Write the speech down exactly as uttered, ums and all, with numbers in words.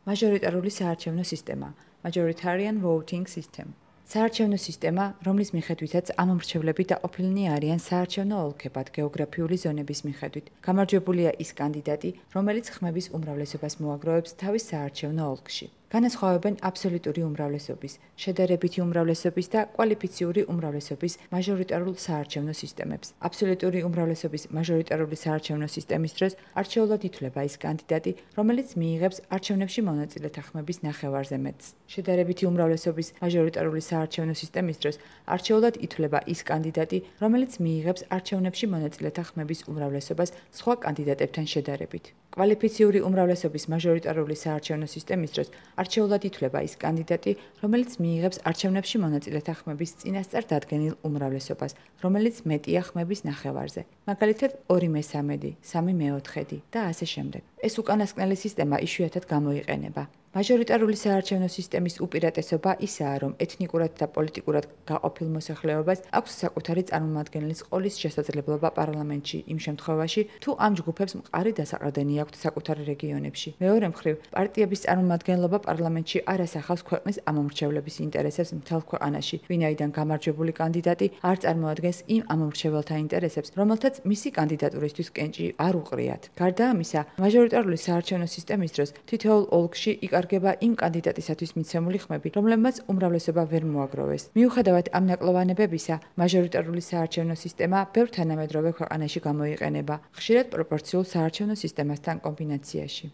მაჟორიტარული საარჩევნო სისტემა, Majoritarian Voting System. საარჩევნო სისტემა, რომლის მიხედვითაც ამომრჩევლები დაყოფილნი არიან საარჩევნო ოლქებად გეოგრაფიული ზონების მიხედვით. გამარჯვებულია ის კანდიდატი, რომელიც ხმების უმრავლესობას მოაგროვებს თავის საარჩევნო ოლქში. განასხვავებენ აბსოლუტური უმრავლესობის, შედარებითი უმრავლესობის და კვალიფიციური უმრავლესობის მაჟორიტარულ საარჩევნო სისტემებს. აბსოლუტური უმრავლესობის მაჟორიტარული საარჩევნო სისტემის დროს არჩეულად ითვლება ის კანდიდატი, რომელიც მიიღებს არჩევნებში მონაწილეთა ხმების ნახევარზე მეტს. შედარებითი უმრავლესობის მაჟორიტარული საარჩევნო სისტემის დროს არჩეულად ითვლება ის კანდიდატი, რომელიც მიიღებს არჩევნებში მონაწილეთა ხმების უმრავლესობას სხვა კანდიდატებთან შედარებით. კვალიფიციური უმრავლესობის მაჟორიტარული საარჩევნო სისტემის დროს არჩეულად ითვლება ის კანდიდატი, რომელიც მიიღებს არჩევნებში მონაწილეთა ხმების წინასწარ დადგენილ უმრავლესობას, რომელიც მეტია ხმების ნახევარზე. მაგალითად, ორი მესამედი, სამი მეოთხედი და ასე შემდეგ. ეს უკანასკნელი სისტემა იშვიათად გამოიყენება. მაჟორიტარული საარჩევნო სისტემის უპირატესობა ისაა, რომ ეთნიკურად და პოლიტიკურად გაყოფილ მოსახლეობას აქვს საკუთარი წარმომადგენლის ყოლის შესაძლებლობა პარლამენტში იმ შემთხვევაში, თუ ამ ჯგუფებს მყარი დასაყრდენი აქვთ საკუთარ რეგიონებში. მეორე მხრივ, პარტიების წარმომადგენლობა პარლამენტში არ ასახავს ქვეყნის ამომრჩევლების ინტერესებს მთელ ქვეყანაში, ვინაიდან გამარჯვებული კანდიდატი არ წარმოადგენს იმ ამომრჩეველთა ინტერესებს, რომელთაც მისი კანდიდატურისთვის კენჭი არ უყრიათ. გარდა ამისა, მაჟორიტარული საარჩევნო სისტემის დროს თითოეულ ოლქში იკარგება იმ კანდიდატისათვის მიცემული ხმები, რომლებმაც უმრავლესობა ვერ მოაგროვეს. მიუხედავად ამ ნაკლოვანებებისა, მაჟორიტარული საარჩევნო სისტემა ბევრ თანამედროვე ქვეყანაში გამოიყენება, ხშირად პროპორციულ საარჩევნო სისტემასთან კომბინაციაში.